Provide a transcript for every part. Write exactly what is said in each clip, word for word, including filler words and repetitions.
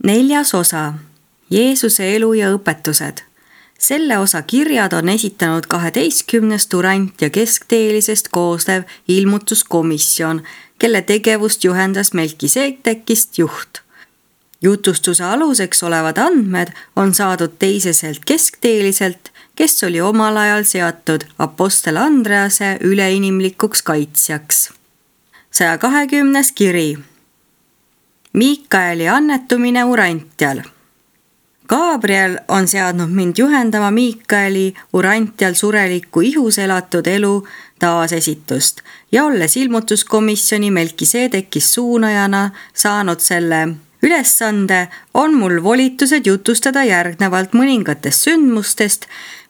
Neljas osa, Jeesuse elu ja õpetused. Selle osa kirjad on esitanud kaheteistkümnest urant- ja keskteelisest koosnev ilmutuskomisjon, kelle tegevust juhendas Melkiseedekist juht. Jutustuse aluseks olevad andmed on saadud teiseselt keskteeliselt, kes oli omal ajal seatud apostel Andrease üleinimlikuks kaitsjaks. saja kahekümnes kiri. Miikaeli annetumine Urantjal. Gabriel on seadnud mind juhendama Miikaeli Urantjal sureliku ihus elatud elu taasesitust ja olles ilmutuskomisjoni Melkiseedekis suunajana saanud selle ülesande, on mul volitused jutustada järgnevalt mõningatest sündmustest,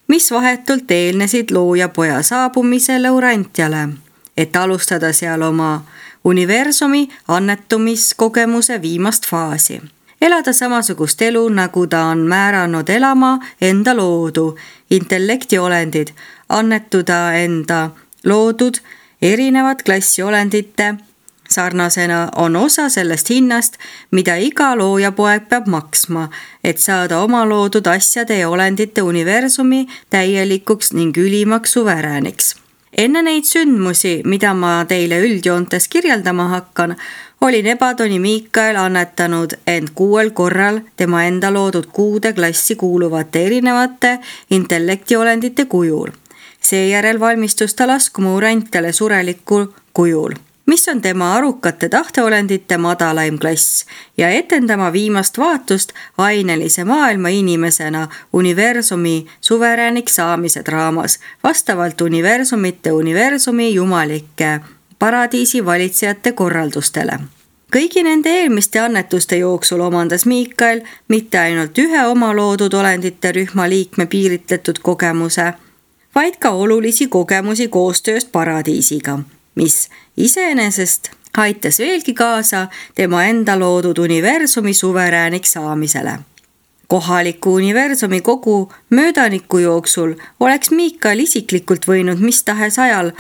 mis vahetult eelnesid loojapoja saabumisele Urantjale, et alustada seal oma universumi annetumiskogemuse viimast faasi. Elada samasugust elu, nagu ta on määranud elama enda loodu, intellektiolendid, annetuda enda loodud erinevat klassi olendite sarnasena on osa sellest hinnast, mida iga loojapoeg peab maksma, et saada oma loodud asjade ja olendite universumi täielikuks ning ülimaks suverääniks. Enne neid sündmusi, mida ma teile üldjoontes kirjeldama hakkan, oli Nebadoni Miikael annetanud end kuuel korral tema enda loodud kuude klassi kuuluvate erinevate intellektiolendite kujul. Seejärel valmistus ta laskuma Urantjale sureliku kujul, mis on tema arukate tahteolendite madalaim klass, ja etendama viimast vaatust ainelise maailma inimesena universumi suverääniks saamise draamas, vastavalt universumite universumi jumalike paradiisi valitsejate korraldustele. Kõigi nende eelmiste annetuste jooksul omandas Miikael mitte ainult ühe oma loodud olendite rühma liikme piiritletud kogemuse, vaid ka olulisi kogemusi koostööst paradiisiga, mis iseenesest aitas veelgi kaasa tema enda loodud universumi suverääniks saamisele. Kohaliku universumi kogu möödaniku jooksul oleks Miikael isiklikult võinud mis tahes ajal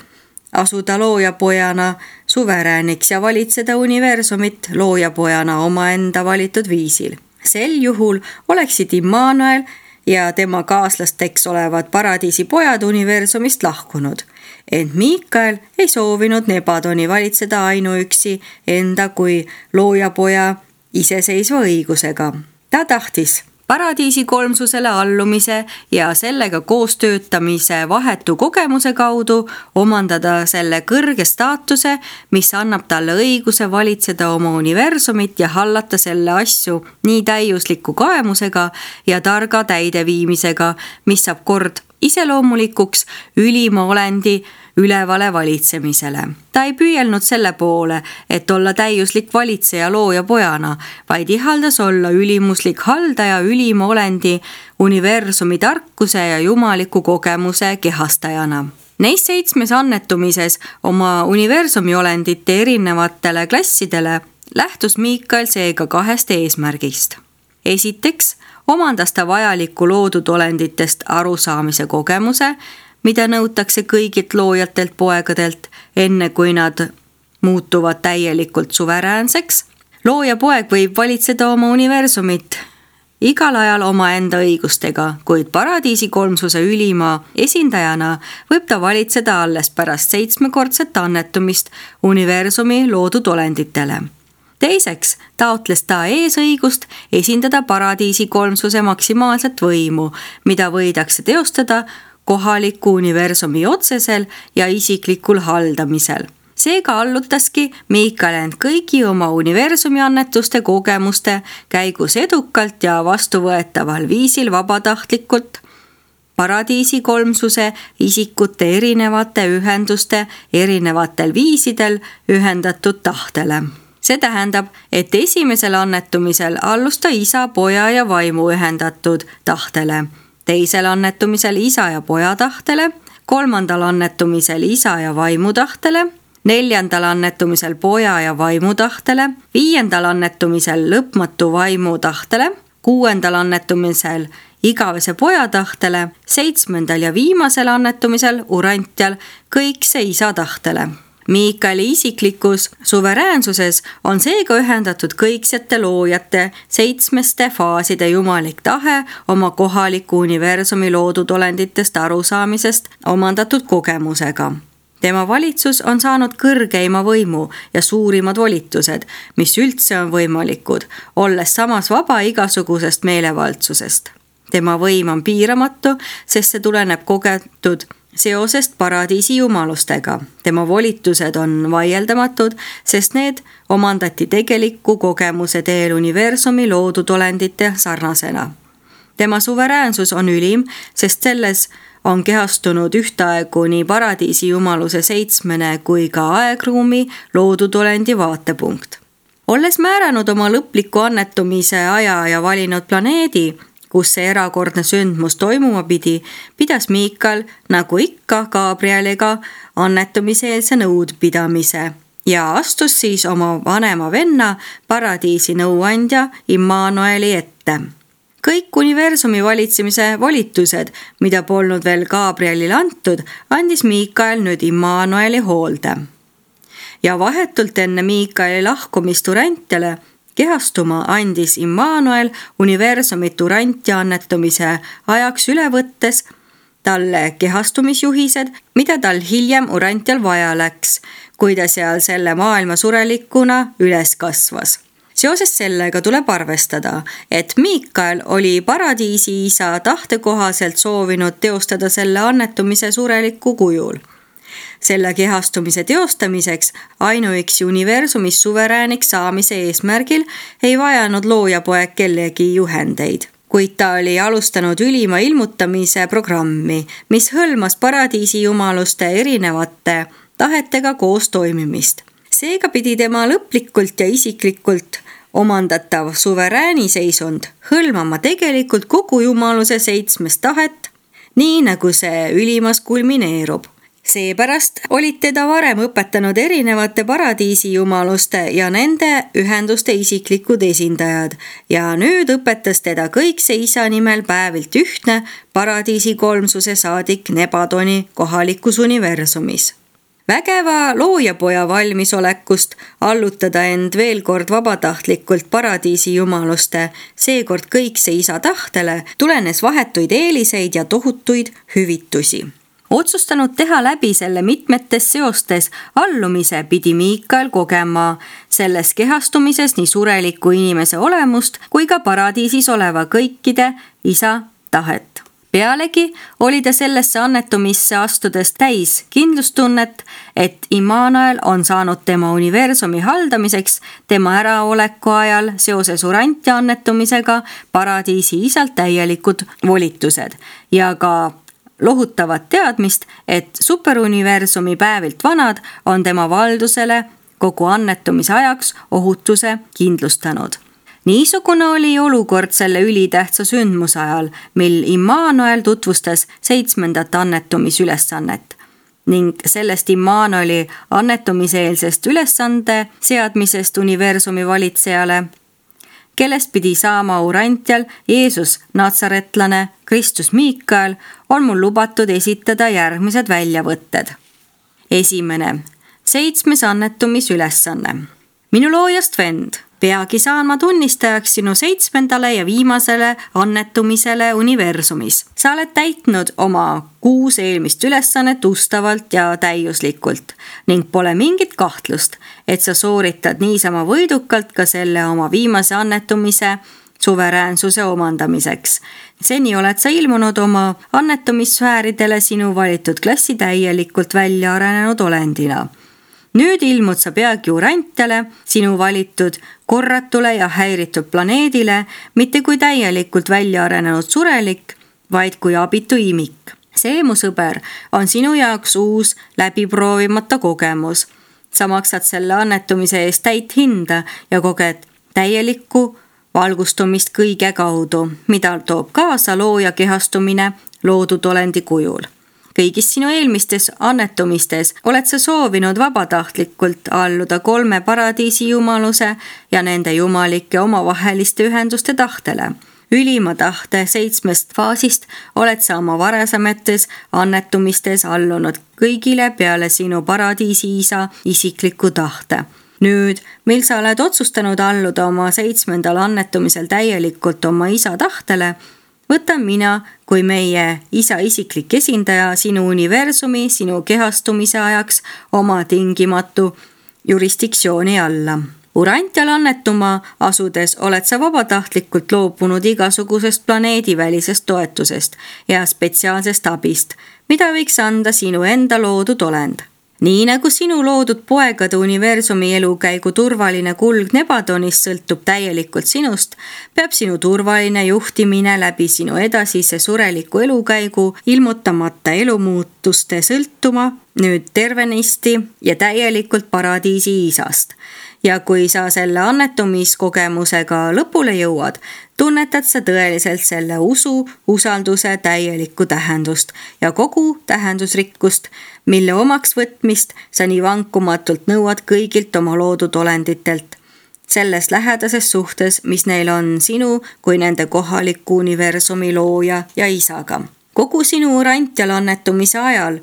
asuda loojapojana suverääniks ja valitseda universumit loojapojana omaenda valitud viisil. Sel juhul oleksid Immanuel ja tema kaaslasteks olevad paradiisi pojad universumist lahkunud. Ent Miikael ei soovinud Nebadoni valitseda ainuüksi enda kui loojapoja iseseisva õigusega. Ta tahtis paradiisi kolmsusele allumise ja sellega koostöötamise vahetu kogemuse kaudu omandada selle kõrge staatuse, mis annab talle õiguse valitseda oma universumit ja hallata selle asju nii täiusliku kaemusega ja targa täideviimisega, mis saab kord iseloomulikuks ülima olendi ülevale valitsemisele. Ta ei püüelnud selle poole, et olla täiuslik valitseja looja pojana, vaid ihaldas olla ülimuslik haldaja ülima olendi universumi tarkuse ja jumaliku kogemuse kehastajana. Neis seitsmes annetumises oma universumi olendite erinevatele klassidele lähtus Miikael seega kahest eesmärgist. Esiteks omandas ta vajaliku loodud olenditest arusaamise kogemuse, mida nõutakse kõigilt loojatelt poegadelt, enne kui nad muutuvad täielikult suveräänseks. Looja poeg võib valitseda oma universumit igal ajal oma enda õigustega, kuid paradiisi kolmsuse ülima esindajana võib ta valitseda alles pärast seitsmekordset annetumist universumi loodud olenditele. Teiseks taotles ta eesõigust esindada paradiisi kolmsuse maksimaalset võimu, mida võidakse teostada kohaliku universumi otsesel ja isiklikul haldamisel. Seega allutaski Miikael end kõigi oma universumi annetuste kogemuste käigus edukalt ja vastuvõetaval viisil vabatahtlikult paradiisi kolmsuse isikute erinevate ühenduste erinevatel viisidel ühendatud tahtele. See tähendab, et esimesel annetumisel allus ta isa, poja ja vaimu ühendatud tahtele, teisel annetumisel isa ja poja tahtele, kolmandal annetumisel isa ja vaimu tahtele, neljandal annetumisel poja ja vaimu tahtele, viiendal annetumisel lõpmatu vaimu tahtele, kuuendal annetumisel igavese poja tahtele, seitsmendal ja viimasel annetumisel Urantjal kõikse isa tahtele. Miikaeli isiklikus suveräänsuses on seega ühendatud kõiksete loojate seitsmeste faaside jumalik tahe oma kohaliku universumi loodud olenditest arusaamisest omandatud kogemusega. Tema valitsus on saanud kõrgeima võimu ja suurimad volitused, mis üldse on võimalikud, olles samas vaba igasugusest meelevaldsusest. Tema võim on piiramatu, sest see tuleneb kogetud seosest paradiisi jumalustega. Tema volitused on vaieldamatud, sest need omandati tegeliku kogemuse teel universumi loodud olendite sarnasena. Tema suveräänsus on ülim, sest selles on kehastunud ühtaegu nii paradiisi jumaluse seitsmene kui ka aegruumi loodud olendi vaatepunkt. Olles määranud oma lõpliku annetumise aja ja valinud planeedi, kus see erakordne sündmus toimuma pidi, pidas Miikael nagu ikka Gabrieliga annetumiseelse nõudpidamise ja astus siis oma vanema venna paradiisi nõuandja Immanueli ette. Kõik universumi valitsemise volitused, mida polnud veel Gabrielile antud, andis Miikael nüüd Immanueli hoolde. Ja vahetult enne Miikaeli lahkumist Urantiale kehastuma andis Immanuel universumit Urantia annetumise ajaks üle võttes talle kehastumisjuhised, mida tal hiljem Urantial vaja läks, kui ta seal selle maailma surelikuna üles kasvas. Seoses sellega tuleb arvestada, et Miikael oli paradiisi isa tahte kohaselt soovinud teostada selle annetumise sureliku kujul. Selle kehastumise teostamiseks ainuüksi universumis suverääniks saamise eesmärgil ei vajanud loojapoeg kellegi juhendeid, kuid ta oli alustanud ülima ilmutamise programmi, mis hõlmas paradiisi jumaluste erinevate tahetega koos toimimist. Seega pidi tema lõplikult ja isiklikult omandatav suverääni seisund hõlmama tegelikult kogu jumaluse seitsmest tahet, nii nagu see ülimas kulmineerub. Seepärast olid teda varem õpetanud erinevate paradiisi jumaluste ja nende ühenduste isiklikud esindajad ja nüüd õpetas teda kõikse isa nimel päevilt ühtne paradiisi kolmsuse saadik Nebadoni kohalikus universumis. Vägeva loojapoja valmisolekust allutada end veel kord vabatahtlikult paradiisi jumaluste, seekord kõikse isa tahtele, tulenes vahetuid eeliseid ja tohutuid hüvitusi. Otsustanud teha läbi selle mitmetes seostes allumise pidi Miikael kogema selles kehastumises nii sureliku inimese olemust kui ka paradiisis oleva kõikide isa tahet. Pealegi oli ta sellesse annetumisse astudes täis kindlustunnet, et Immanuel on saanud tema universumi haldamiseks tema äraoleku ajal seoses Urantia annetumisega paradiisi isalt täielikud volitused ja ka lohutavat teadmist, et superuniversumi päevilt vanad on tema valdusele kogu annetumise ajaks ohutuse kindlustanud. Niisugune oli olukord selle ülitähtsa sündmuse ajal, mil Immanuel tutvustas seitsmendat annetumisülesannet ning sellest Immanueli annetumiseelsest ülesande seadmisest universumi valitsejale, kellest pidi saama Urantial Jeesus Natsaretlane Kristus Miikael, on mul lubatud esitada järgmised väljavõtted. Esimene, seitsmes annetumisülesanne. Minu loojast vend, peagi saan ma tunnistajaks sinu seitsmendale ja viimasele annetumisele universumis. Sa oled täitnud oma kuus eelmist ülesannet ustavalt ja täiuslikult ning pole mingit kahtlust, et sa sooritad niisama võidukalt ka selle oma viimase annetumise suveräänsuse omandamiseks. Seni oled sa ilmunud oma annetumissfääridele sinu valitud klassi täielikult välja arenenud olendina. Nüüd ilmud sa peagi Urantiale, sinu valitud korratule ja häiritud planeedile, mitte kui täielikult välja arenenud surelik, vaid kui abitu imik. See, mu sõber, on sinu jaoks uus läbiproovimata kogemus. Sa maksad selle annetumise eest täit hinda ja koged täielikku valgustumist kõige kaudu, mida toob kaasa looja kehastumine loodud olendi kujul. Kõigis sinu eelmistes annetumistes oled sa soovinud vabatahtlikult alluda kolme paradiisi jumaluse ja nende jumalike omavaheliste ühenduste tahtele. Ülima tahte seitsmest faasist oled sa oma varasemates annetumistes allunud kõigile peale sinu paradiisi isa isikliku tahte. Nüüd, mil sa oled otsustanud alluda oma seitsmendal annetumisel täielikult oma isa tahtele, võtan mina kui meie isa isiklik esindaja sinu universumi, sinu kehastumise ajaks oma tingimatu jurisdiktsiooni alla. Urantial annetuma asudes oled sa vabatahtlikult loobunud igasugusest planeedivälisest toetusest ja spetsiaalsest abist, mida võiks anda sinu enda loodud olend. Nii nagu sinu loodud poegade universumi elukäigu turvaline kulg Nebadonist sõltub täielikult sinust, peab sinu turvaline juhtimine läbi sinu edasise sureliku elukäigu ilmutamata elumuutuste sõltuma nüüd tervenisti ja täielikult paradiisi isast. Ja kui sa selle annetumiskogemusega lõpule jõuad, tunnetad sa tõeliselt selle usu, usalduse täielikku tähendust ja kogu tähendusrikkust, mille omaks võtmist sa nii vankumatult nõuad kõigilt oma loodud olenditelt. Selles lähedases suhtes, mis neil on sinu kui nende kohaliku universumi looja ja isaga. Kogu sinu urantial annetumise ajal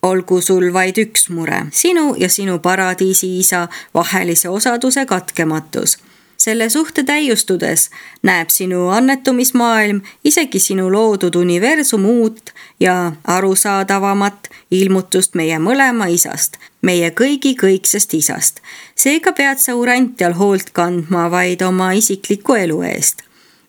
olgu sul vaid üks mure, sinu ja sinu paradiisi isa vahelise osaduse katkematus. Selle suhte täiustudes näeb sinu annetumismaailm isegi sinu loodud universum uut ja arusaadavamat ilmutust meie mõlema isast, meie kõigi kõiksest isast. Seega pead sa urantial hoolt kandma vaid oma isikliku elu eest.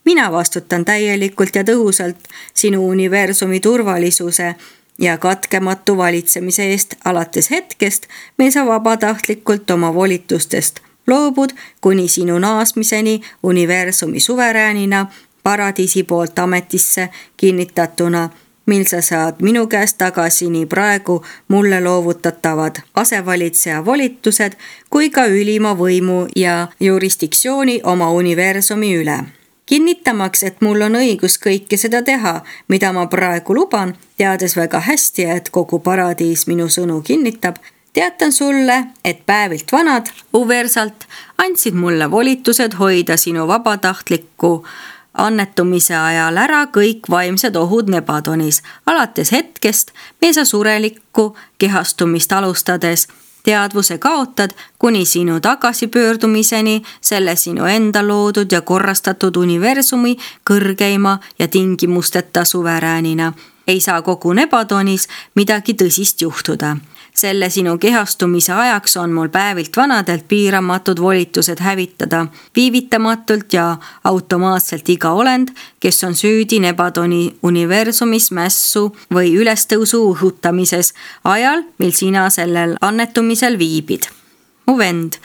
Mina vastutan täielikult ja tõhusalt sinu universumi turvalisuse ja katkematu valitsemise eest alates hetkest, mil sa vabatahtlikult oma volitustest loobud kuni sinu naasmiseni universumi suveräänina paradiisi poolt ametisse kinnitatuna, mil sa saad minu käest tagasi nii praegu mulle loovutatavad asevalitseja volitused kui ka ülima võimu ja jurisdiktsiooni oma universumi üle. Kinnitamaks, et mul on õigus kõike seda teha, mida ma praegu luban, teades väga hästi, et kogu paradiis minu sõnu kinnitab, teatan sulle, et päevilt vanad uversalt andsid mulle volitused hoida sinu vabatahtlikku annetumise ajal ära kõik vaimsed ohud Nebadonis, alates hetkest, mil sa surelikku kehastumist alustades teadvuse kaotad kuni sinu tagasipöördumiseni selle sinu enda loodud ja korrastatud universumi kõrgeima ja tingimusteta suveräänina. Ei saa kogu Nebadonis midagi tõsist juhtuda. Selle sinu kehastumise ajaks on mul päevilt vanadelt piiramatud volitused hävitada viivitamatult ja automaatselt iga olend, kes on süüdi Nebadoni universumis mässu või ülestõusu õhutamises ajal, mil sina sellel annetumisel viibid. Mu vend,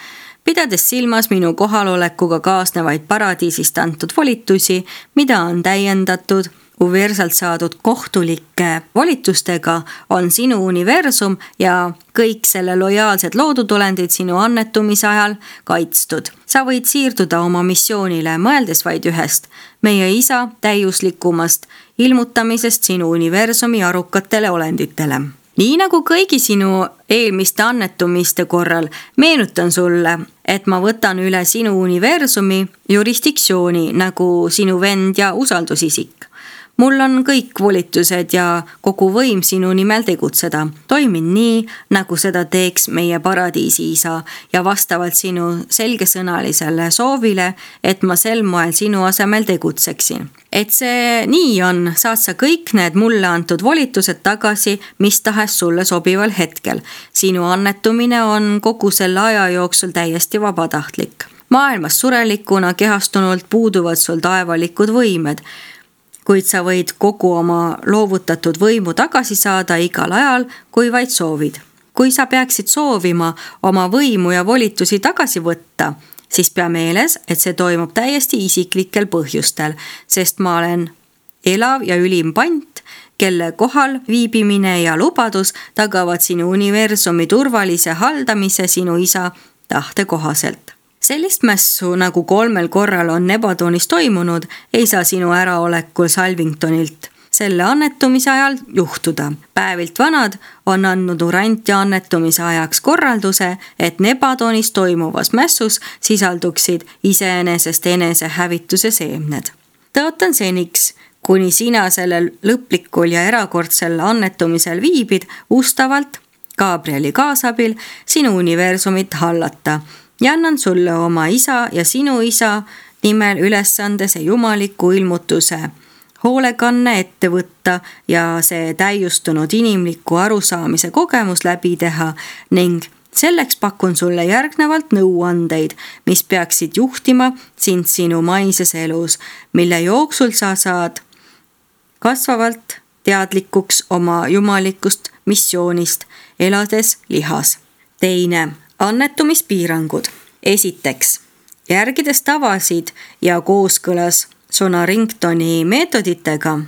pidades silmas minu kohalolekuga kaasnevaid paradiisist antud volitusi, mida on täiendatud uversalt saadud kohtulike volitustega, on sinu universum ja kõik selle lojaalsed loodud olendid sinu annetumise ajal kaitstud. Sa võid siirduda oma missioonile, mõeldes vaid ühest, meie isa täiuslikumast ilmutamisest sinu universumi arukatele olenditele. Nii nagu kõigi sinu eelmiste annetumiste korral, meenutan sulle, et ma võtan üle sinu universumi jurisdiktsiooni nagu sinu vend ja usaldusisik. Mul on kõik volitused ja kogu võim sinu nimel tegutseda. Toimin nii, nagu seda teeks meie paradiisi isa ja vastavalt sinu selgesõnalisele soovile, et ma sel moel sinu asemel tegutseksin. Et see nii on, saad sa kõik need mulle antud volitused tagasi, mis tahes sulle sobival hetkel. Sinu annetumine on kogu selle aja jooksul täiesti vabatahtlik. Maailmas surelikuna kehastunult puuduvad sul taevalikud võimed, kuid sa võid kogu oma loovutatud võimu tagasi saada igal ajal, kui vaid soovid. Kui sa peaksid soovima oma võimu ja volitusi tagasi võtta, siis pea meeles, et see toimub täiesti isiklikel põhjustel, sest ma olen elav ja ülim pant, kelle kohal viibimine ja lubadus tagavad sinu universumi turvalise haldamise sinu isa tahte kohaselt. Sellist mässu, nagu kolmel korral on Nebadonis toimunud, ei saa sinu äraolekul Salvingtonilt selle annetumise ajal juhtuda. Päevilt vanad on andnud Urantia annetumise ajaks korralduse, et Nebadonis toimuvas mässus sisalduksid iseenesest enese hävituse seemned. tõotan seniks, kuni sina sellel lõplikul ja erakordsel annetumisel viibid, ustavalt Gabrieli kaasabil sinu universumit hallata ja annan sulle oma isa ja sinu isa nimel ülesande see jumaliku ilmutuse hoolekanne ette võtta ja see täiustunud inimliku arusaamise kogemus läbi teha ning selleks pakun sulle järgnevalt nõuandeid, mis peaksid juhtima sind sinu maises elus, mille jooksul sa saad kasvavalt teadlikuks oma jumalikust missioonist, elades lihas. Teine, annetumispiirangud. Esiteks, järgides tavasid ja kooskõlas Sonaringtoni meetoditega,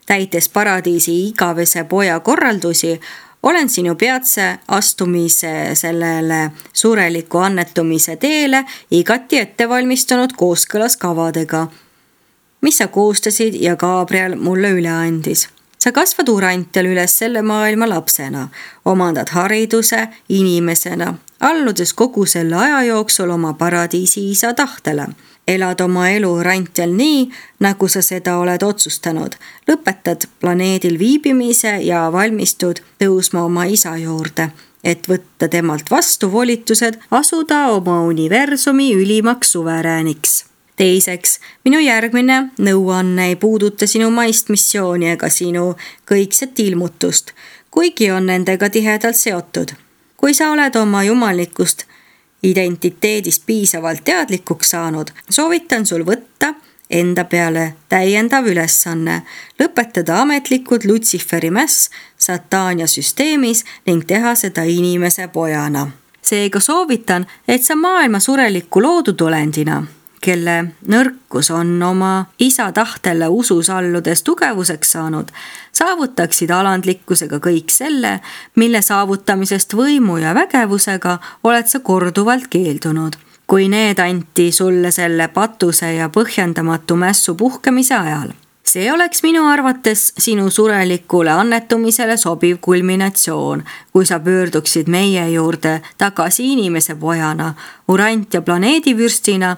täites paradiisi igavese poja korraldusi, olen sinu peatse astumise sellele sureliku annetumise teele igati ettevalmistunud kooskõlas kavadega, mis sa koostasid ja Gabriel mulle üle andis. Sa kasvad Urantial üles selle maailma lapsena, omandad hariduse inimesena, alludes kogu selle aja jooksul oma paradiisi isa tahtele. Elad oma elu Urantial nii, nagu sa seda oled otsustanud. Lõpetad planeedil viibimise ja valmistud tõusma oma isa juurde, et võtta temalt vastu volitused asuda oma universumi ülimaks suverääniks. Teiseks, minu järgmine nõuanne ei puuduta sinu maist missiooni ega sinu kõikset ilmutust, kuigi on nendega tihedalt seotud. Kui sa oled oma jumalikust identiteedist piisavalt teadlikuks saanud, soovitan sul võtta enda peale täiendav ülesanne, lõpetada ametlikud Lutsiferi mäss Sataania süsteemis ning teha seda inimese pojana. Seega soovitan, et sa maailma sureliku loodud olendina, kelle nõrkus on oma isa tahtele usus alludes tugevuseks saanud, saavutaksid alandlikkusega kõik selle, mille saavutamisest võimu ja vägevusega oled sa korduvalt keeldunud, kui need anti sulle selle patuse ja põhjendamatu mässu puhkemise ajal. See oleks minu arvates sinu surelikule annetumisele sobiv kulminatsioon, kui sa pöörduksid meie juurde tagasi inimese pojana, Urantia planeedivürstina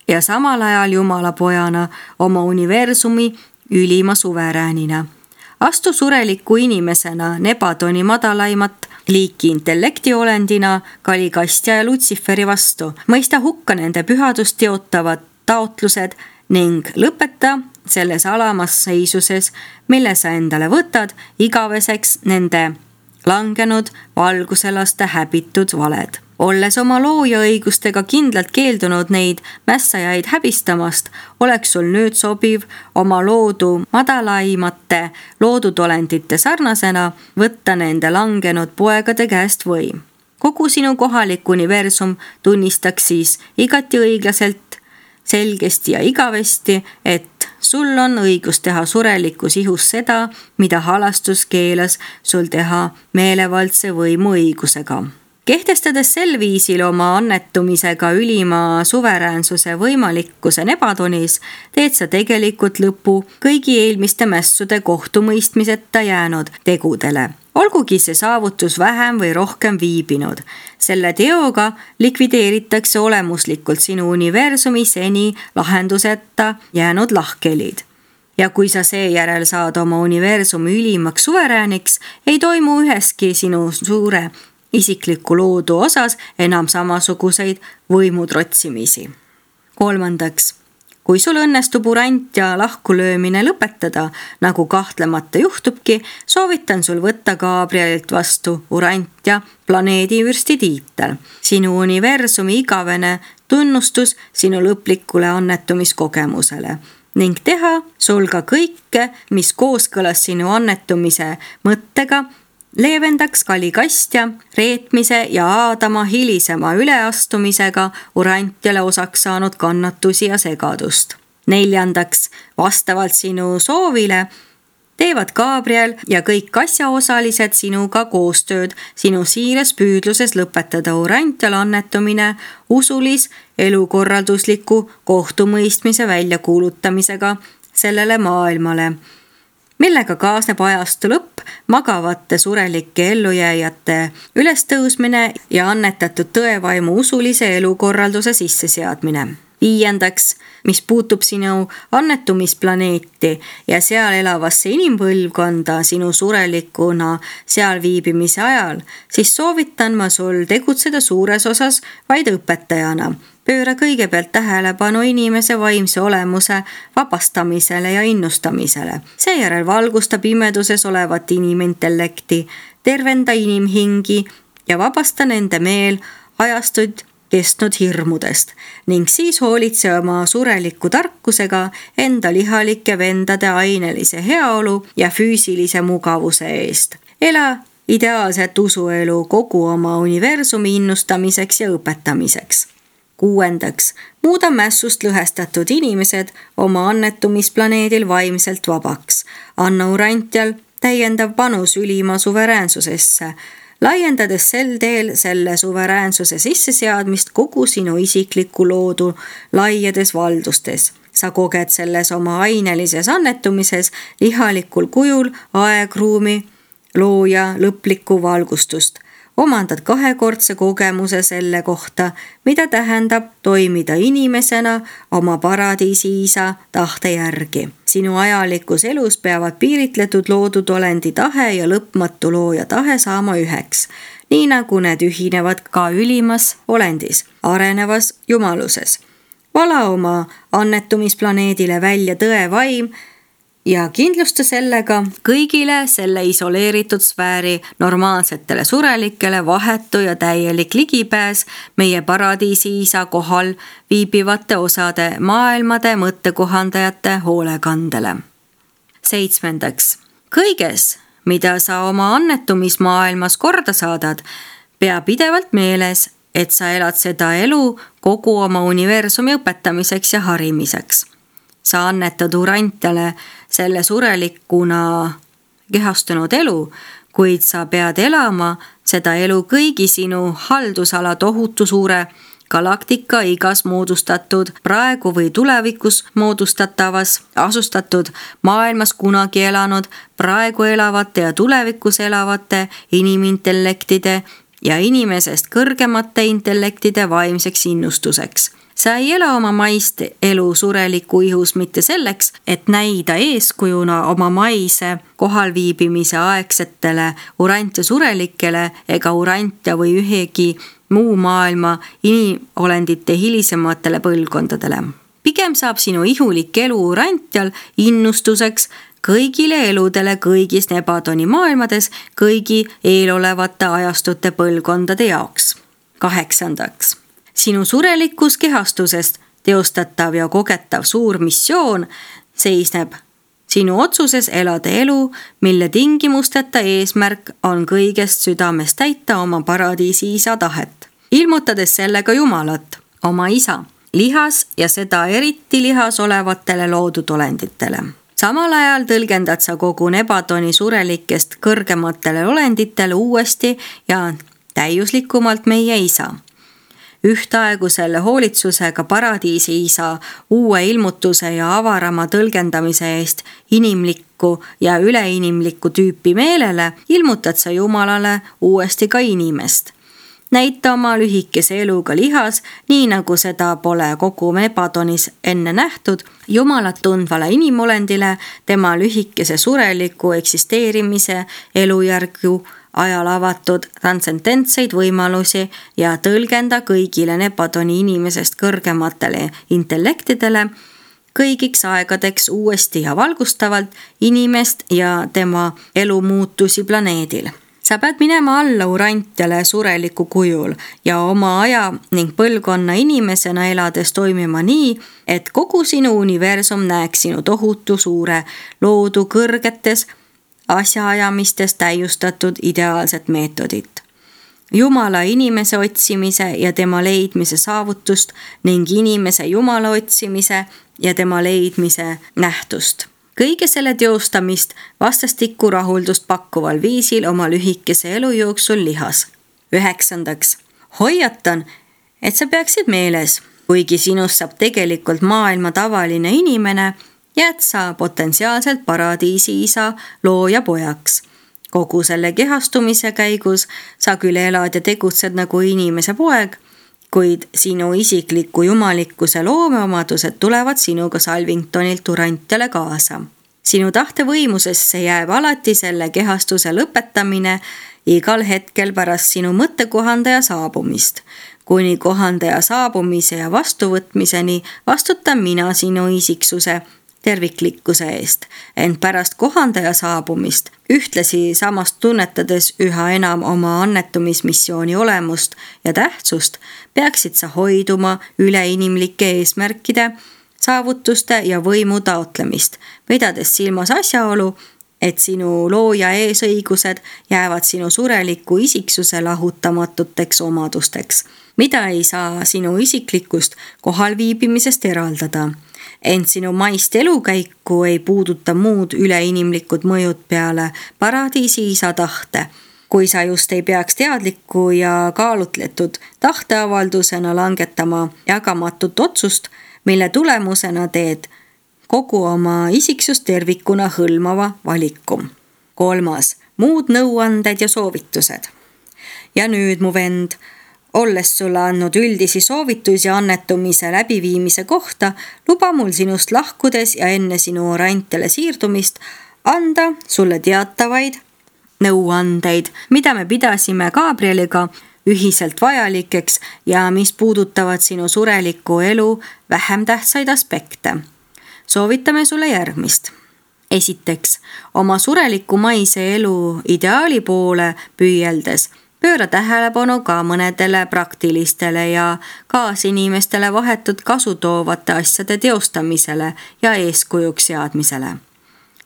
ja samal ajal Jumala pojana oma universumi ülima suveräänina. Astu sureliku inimesena Nebadoni madalaimat liiki intellektiolendina Kalikastja ja Lutsiferi vastu. Mõista hukka nende pühadust teotavad taotlused ning lõpeta selles alamas seisuses, mille sa endale võtad, igaveseks nende langenud valguselaste häbitud valed. Olles oma looja õigustega kindlalt keeldunud neid mässajaid häbistamast, oleks sul nüüd sobiv oma loodu madalaimate loodudolendite sarnasena võtta nende langenud poegade käest võim. Kogu sinu kohalik universum tunnistaks siis igati õiglaselt, selgesti ja igavesti, et sul on õigus teha surelikus ihus seda, mida halastus keelas sul teha meelevaldse võimu õigusega. Kehtestades sel viisil oma annetumisega ülima suveräänsuse võimalikkuse Nebadonis, teed sa tegelikult lõpu kõigi eelmiste mässude kohtumõistmiseta jäänud tegudele. Olgugi see saavutus vähem või rohkem viibinud. Selle teoga likvideeritakse olemuslikult sinu universumi seni lahenduseta jäänud lahkelid. Ja kui sa seejärel saad oma universumi ülimaks suverääniks, ei toimu üheski sinu suure isikliku loodu osas enam samasuguseid võimutrotsimisi. Kolmandaks, kui sul õnnestub Urantia lahkulöömine lõpetada, nagu kahtlemata juhtubki, soovitan sul võtta Gabrielilt vastu Urantia planeedivürsti tiitel. Sinu universumi igavene tunnustus sinu lõplikule annetumiskogemusele ning teha sul ka kõike, mis kooskõlas sinu annetumise mõttega, leevendaks Kalikastja reetmise ja Aadama hilisema üleastumisega Urantiale osaks saanud kannatusi ja segadust. Neljandaks, vastavalt sinu soovile teevad Gabriel ja kõik asjaosalised sinuga koostööd sinu siires püüdluses lõpetada Urantial annetumine usulis elukorraldusliku kohtumõistmise väljakuulutamisega sellele maailmale, millega kaasneb ajastu lõpp, magavate surelike ellujääjate ülestõusmine ja annetatud tõevaimu usulise elukorralduse sisseseadmine. Viiendaks, mis puutub sinu annetumisplaneeti ja seal elavasse inimpõlvkonda sinu surelikuna seal viibimise ajal, siis soovitan ma sul tegutseda suures osas vaid õpetajana. Pööra kõigepealt tähelepanu inimese vaimse olemuse vabastamisele ja innustamisele. Seejärel valgusta pimeduses olevat inimintellekti, tervenda inimhingi ja vabasta nende meel ajastuid kestnud hirmudest ning siis hoolitse oma sureliku tarkusega enda lihalike vendade ainelise heaolu ja füüsilise mugavuse eest. Ela ideaalset usuelu kogu oma universumi innustamiseks ja õpetamiseks. Kuuendaks, muuda mässust lõhestatud inimesed oma annetumisplaneedil vaimselt vabaks. Anna Urantial täiendav panus ülima suveräänsusesse, laiendades sel teel selle suveräänsuse sisseseadmist kogu sinu isikliku loodu laiades valdustes. Sa koged selles oma ainelises annetumises lihalikul kujul aegruumi looja lõplikku valgustust. Omandad kahekordse kogemuse selle kohta, mida tähendab toimida inimesena oma paradiisi isa tahte järgi. Sinu ajalikus elus peavad piiritletud loodud olendi tahe ja lõpmatu looja tahe saama üheks, nii nagu need ühinevad ka ülimas olendis, arenevas jumaluses. Vala oma annetumisplaneedile välja tõe vaim ja kindlusta sellega kõigile selle isoleeritud sfääri normaalsetele surelikele vahetu ja täielik ligipääs meie paradiisi isa kohal viibivate osade maailmade mõttekohandajate hoolekandele. Seitsmendaks, kõiges, mida sa oma annetumismaailmas korda saadad, pea pidevalt meeles, et sa elad seda elu kogu oma universumi õpetamiseks ja harimiseks. Sa annetad Urantiale selle surelikuna kehastunud elu, kuid sa pead elama seda elu kõigi sinu haldusala tohutu suure galaktika igas moodustatud, praegu või tulevikus moodustatavas, asustatud maailmas kunagi elanud, praegu elavate ja tulevikus elavate inimintellektide ja inimesest kõrgemate intellektide vaimseks innustuseks. Sa ei ela oma maist elu sureliku ihus mitte selleks, et näida eeskujuna oma maise kohalviibimise aegsetele Urantia surelikele ega Urantia või ühegi muu maailma inimolendite hilisematele põlvkondadele. Pigem saab sinu ihulik elu Urantial innustuseks kõigile eludele kõigis Nebadoni maailmades kõigi eelolevate ajastute põlvkondade jaoks. Kaheksandaks. Sinu surelikus kehastusest teostatav ja kogetav suur missioon seisneb sinu otsuses elada elu, mille tingimusteta eesmärk on kõigest südamest täita oma paradiisi isa tahet, ilmutades sellega Jumalat, oma isa, lihas ja seda eriti lihas olevatele loodud olenditele. Samal ajal tõlgendad sa kogu Nebadoni surelikest kõrgematele olenditele uuesti ja täiuslikumalt meie isa. Ühtaegu selle hoolitsusega paradiisi isa uue ilmutuse ja avarama tõlgendamise eest inimlikku ja üleinimlikku tüüpi meelele ilmutad sa Jumalale uuesti ka inimest. Näita oma lühikese eluga lihas, nii nagu seda pole kogu Nebadonis enne nähtud, Jumalat tundvale inimolendile tema lühikese sureliku eksisteerimise elujärgu ajal avatud transcendentseid võimalusi ja tõlgenda kõigile Nebadoni inimesest kõrgematele intellektidele kõigiks aegadeks uuesti ja valgustavalt inimest ja tema elumuutusi planeedil. Sa pead minema alla Urantiale sureliku kujul ja oma aja ning põlvkonna inimesena elades toimima nii, et kogu sinu universum näeks sinu tohutu suure loodu kõrgetes asjaajamistes täiustatud ideaalset meetodit. Jumala inimese otsimise ja tema leidmise saavutust ning inimese Jumala otsimise ja tema leidmise nähtust. Kõige selle teostamist vastastikku rahuldust pakkuval viisil oma lühikese elu jooksul lihas. Üheksandaks. Hoiatan, et sa peaksid meeles, kuigi sinust saab tegelikult maailma tavaline inimene, jääd sa potentsiaalselt paradiisi isa looja pojaks. Kogu selle kehastumise käigus sa küll elad ja tegutsed nagu inimese poeg, kuid sinu isikliku jumalikkuse loomeomadused tulevad sinuga Salvingtonilt Urantiale kaasa. Sinu tahtevõimusesse jääb alati selle kehastuse lõpetamine igal hetkel pärast sinu mõttekohandaja saabumist. Kuni kohandaja saabumise ja vastuvõtmiseni vastutan mina sinu isiksuse terviklikkuse eest, ent pärast kohandaja saabumist, ühtlasi samast tunnetades üha enam oma annetumismissiooni olemust ja tähtsust, peaksid sa hoiduma üleinimlike eesmärkide, saavutuste ja võimu taotlemist, pidades silmas asjaolu, et sinu looja eesõigused jäävad sinu sureliku isiksuse lahutamatuteks omadusteks, mida ei saa sinu isiklikust kohalviibimisest eraldada. Ent sinu maist elukäiku ei puuduta muud üleinimlikud mõjud peale paradiisi isa tahte, kui sa just ei peaks teadliku ja kaalutletud tahteavaldusena langetama jagamatut otsust, mille tulemusena teed kogu oma isiksust tervikuna hõlmava valiku. Kolmas, muud nõuanded ja soovitused. Ja nüüd, mu vend, olles sulle andnud üldisi soovitusi annetumise läbiviimise kohta, luba mul sinust lahkudes ja enne sinu Urantiale siirdumist anda sulle teatavaid nõuandeid, mida me pidasime Gabrieliga ühiselt vajalikeks ja mis puudutavad sinu sureliku elu vähem tähtsaid aspekte. Soovitame sulle järgmist. Esiteks, oma sureliku maise elu ideaali poole püüeldes pööra tähelepanu ka mõnedele praktilistele ja kaasinimestele vahetut kasu toovate asjade teostamisele ja eeskujuks seadmisele.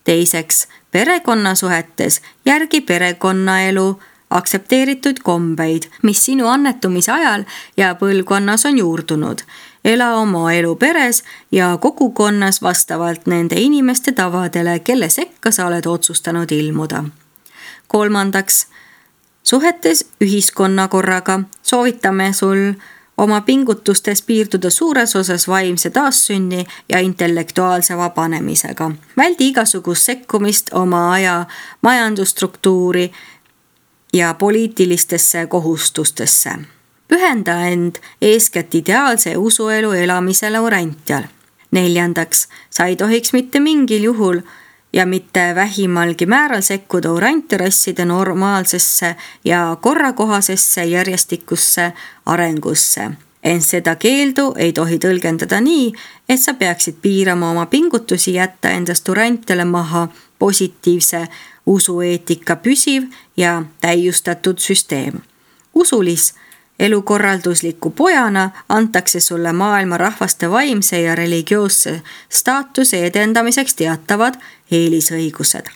Teiseks, perekonnasuhetes järgi perekonnaelu aktsepteeritud kombeid, mis sinu annetumise ajal ja põlvkonnas on juurdunud. Ela oma elu peres ja kogukonnas vastavalt nende inimeste tavadele, kelle sekka sa oled otsustanud ilmuda. Kolmandaks, suhetes ühiskonnakorraga soovitame sul oma pingutustes piirduda suures osas vaimse taassünni ja intellektuaalse vabanemisega. Väldi igasugust sekkumist oma aja majandusstruktuuri ja poliitilistesse kohustustesse. Pühenda end eeskätt ideaalse usuelu elamisele Urantial. Neljandaks, sa ei tohiks mitte mingil juhul ja mitte vähimalgi määral sekkuda Uranti-rasside normaalsesse ja korrakohasesse järjestikusse arengusse. Ent seda keeldu ei tohi tõlgendada nii, et sa peaksid piirama oma pingutusi jätta endast Urantiale maha positiivse usueetika püsiv ja täiustatud süsteem. Usulis elukorraldusliku pojana antakse sulle maailma rahvaste vaimse ja religioosse staatuse edendamiseks teatavad eelisõigused.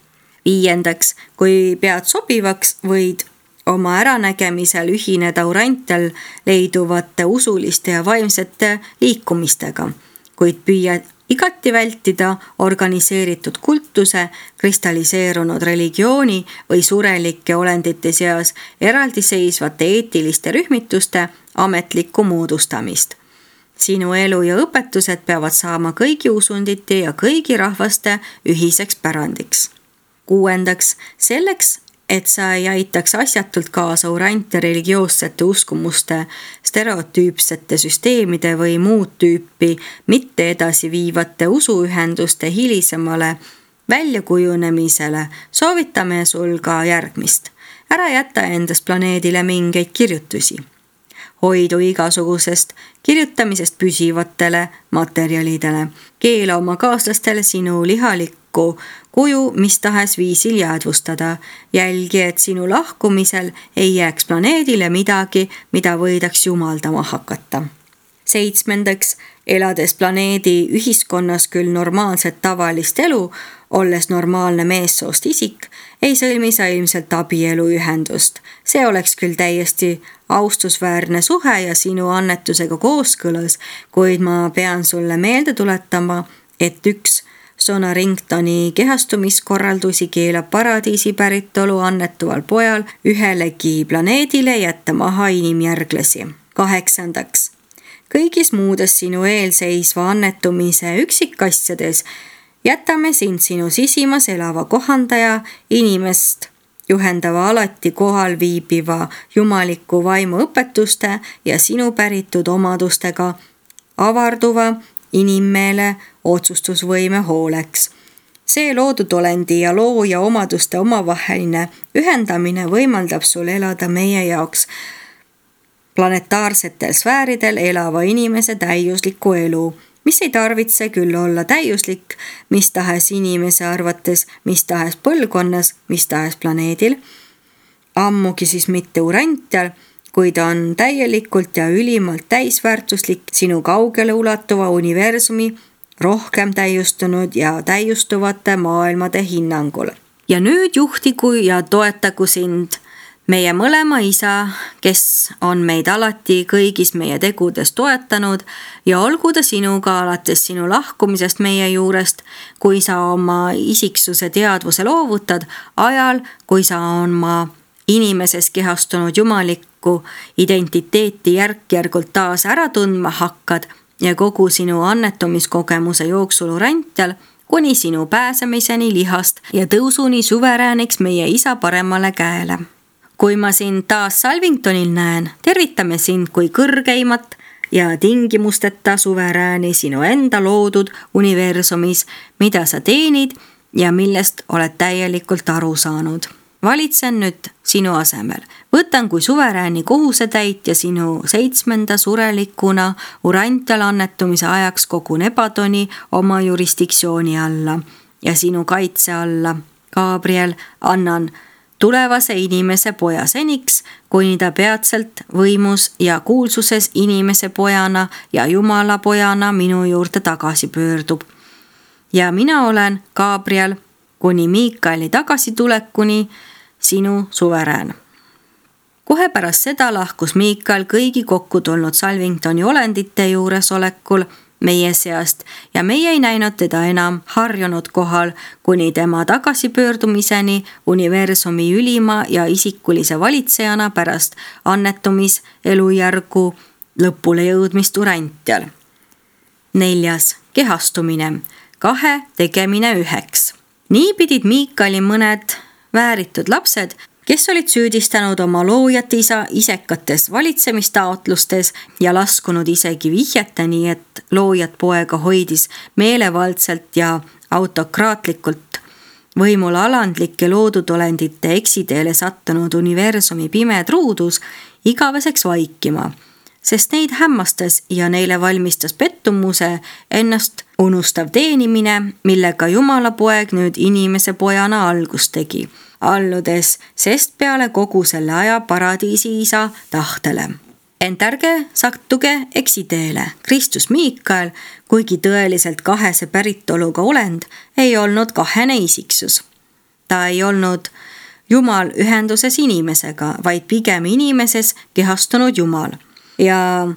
Viiendaks, kui pead sobivaks, võid oma äranägemisel ühineda Urantial leiduvate usuliste ja vaimsete liikumistega, kuid püüad igati vältida organiseeritud kultuse, kristalliseerunud religiooni või surelike olendite seas eraldiseisvate eetiliste rühmituste ametlikku moodustamist. Sinu elu ja õpetused peavad saama kõigi usundite ja kõigi rahvaste ühiseks pärandiks. Kuuendaks, selleks, et sa ei aitaks asjatult kaasa Uranti religioossete uskumuste, stereotüüpsete süsteemide või muud tüüpi mitte edasi viivate usuühenduste hilisemale väljakujunemisele, soovitame sul ka järgmist. Ära jäta endast planeedile mingeid kirjutusi. Hoidu igasugusest kirjutamisest püsivatele materjalidele. Keela oma kaaslastele sinu lihalikku kuju mis tahes viisil jäädvustada. Jälgi, et sinu lahkumisel ei jääks planeedile midagi, mida võidaks jumaldama hakata. Seitsmendaks, elades planeedi ühiskonnas küll normaalset tavalist elu, olles normaalne meessoost isik, ei sõlmi sa ilmselt abieluühendust. See oleks küll täiesti austusväärne suhe ja sinu annetusega kooskõlas, kuid ma pean sulle meelde tuletama, et üks Sonaringtoni kehastumiskorraldusi keelab paradiisi päritolu annetuval pojal ühelegi planeedile jätta maha inimjärglasi. Kaheksandaks, kõigis muudes sinu eelseisva annetumise üksikasjades jätame sind sinu sisimas elava kohandaja inimest juhendava alati kohal viibiva jumaliku vaimu õpetuste ja sinu päritud omadustega avarduva inimmeele otsustusvõime hooleks. See loodud olendi ja looja omaduste omavaheline ühendamine võimaldab sul elada meie jaoks planetaarsetel sfääridel elava inimese täiuslikku elu, mis ei tarvitse küll olla täiuslik mis tahes inimese arvates, mis tahes põlvkonnas, mis tahes planeedil, ammugi siis mitte Urantial, kuid on täielikult ja ülimalt täisväärtuslik sinu kaugele ulatuva universumi rohkem täiustunud ja täiustuvate maailmade hinnangul. Ja nüüd juhtigu ja toetagu sind meie mõlema isa, kes on meid alati kõigis meie tegudes toetanud ja olgu ta sinuga alates sinu lahkumisest meie juurest, kui sa oma isiksuse teadvuse loovutad, ajal, kui sa oma inimeses kehastunud jumalikku identiteeti järk-järgult taas ära tundma hakkad ja kogu sinu annetumiskogemuse jooksul Urantial kuni sinu pääsemiseni lihast ja tõusuni suverääniks meie isa paremale käele. Kui ma sind taas Salvingtonil näen, tervitame sind kui kõrgeimat ja tingimusteta suverääni sinu enda loodud universumis, mida sa teenid ja millest oled täielikult aru saanud. Valitsen nüüd sinu asemel. Võtan kui suverääni kohusetäitja sinu seitsmenda surelikuna Urantial annetumise ajaks kogu Nebadoni oma jurisdiktsiooni alla ja sinu kaitse alla. Gabriel, annan tulevase inimese poja seniks, kuni ta peatselt võimus ja kuulsuses inimese pojana ja Jumala pojana minu juurde tagasi pöördub. Ja mina olen Gabriel kuni Miikaeli tagasitulekuni sinu suverään. Kohe pärast seda lahkus Miikael kõigi kokku tulnud Salvingtoni olendite juuresolekul meie seast ja meie ei näinud teda enam harjunud kohal kuni tema tagasipöördumiseni universumi ülima ja isikulise valitsejana pärast annetumis elujärgu lõpule jõudmist Urantial. Neljas. Kehastumine. Kahe tegemine üheks. Nii pidid Miikaeli mõned vääritud lapsed, kes olid süüdistanud oma loojat isa isekates valitsemistaotlustes ja laskunud isegi vihjeteni, et loojat poega hoidis meelevaldselt ja autokraatlikult võimul alandlike loodud olendite eksiteele sattunud universumi pime truudus igaveseks vaikima, sest neid hämmastas ja neile valmistas pettumuse ennast unustav teenimine, millega Jumala poeg nüüd inimese pojana algust tegi, alludes sest peale kogu selle aja paradiisi isa tahtele. Ent ärge sattuge eksiteele. Kristus Miikael, kuigi tõeliselt kahese päritoluga olend, ei olnud kahene isiksus. Ta ei olnud Jumal ühenduses inimesega, vaid pigem inimeses kehastunud Jumal. Ja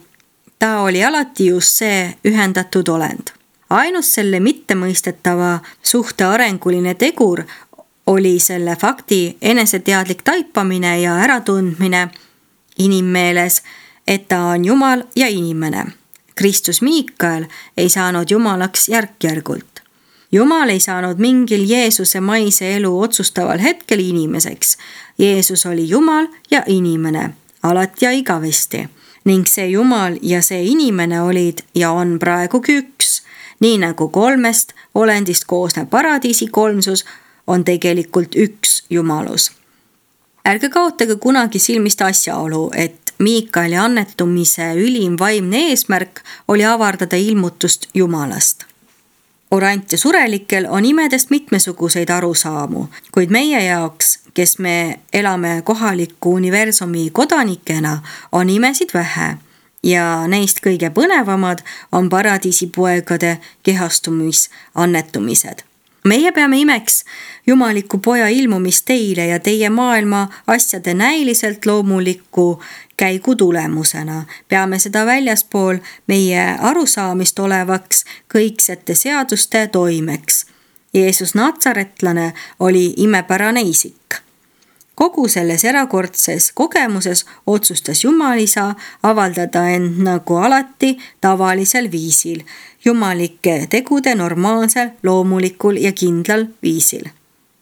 ta oli alati just see ühendatud olend. Ainus selle mittemõistetava suhte arenguline tegur oli selle fakti eneseteadlik taipamine ja äratundmine inimmeeles, et ta on Jumal ja inimene. Kristus Miikael ei saanud Jumalaks järk-järgult. Jumal ei saanud mingil Jeesuse maise elu otsustaval hetkel inimeseks. Jeesus oli Jumal ja inimene, alati ja igavesti. Ning see Jumal ja see inimene olid ja on praegugi üks. Nii nagu kolmest olendist koosnev paradiisi kolmsus on tegelikult üks Jumalus. Ärge kaotage kunagi silmist asjaolu, et Miikaeli annetumise ülim vaimne eesmärk oli avardada ilmutust Jumalast. Urantia surelikel on imedest mitmesuguseid arusaamu, kuid meie jaoks, kes me elame kohaliku universumi kodanikena, on imesid vähe. Ja neist kõige põnevamad on paradiisipoegade kehastumis annetumised. Meie peame imeks jumaliku poja ilmumist teile ja teie maailma asjade näiliselt loomuliku käigu tulemusena. Peame seda väljaspool meie arusaamist olevaks kõiksete seaduste toimeks. Jeesus Natsaretlane oli imepärane isik. Kogu selles erakordses kogemuses otsustas Jumalisa avaldada end nagu alati tavalisel viisil, jumalike tegude normaalsel, loomulikul ja kindlal viisil.